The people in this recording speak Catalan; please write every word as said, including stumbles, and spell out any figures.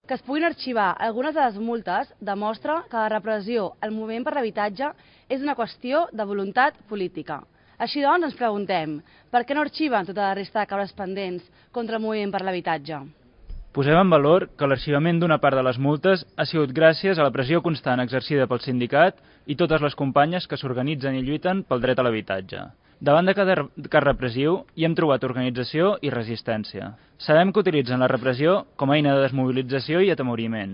Que es puguin arxivar algunes de les multes demostra que la repressió al moviment per l'habitatge és una qüestió de voluntat política. Així doncs, ens preguntem, per què no arxiven tota la resta de causes pendents contra el moviment per l'habitatge? Posem en valor que l'arxivament d'una part de les multes ha sigut gràcies a la pressió constant exercida pel sindicat i totes les companyes que s'organitzen i lluiten pel dret a l'habitatge. Davant de cada cas repressiu hi hem trobat organització i resistència. Sabem que utilitzen la repressió com a eina de desmobilització i atemoriment.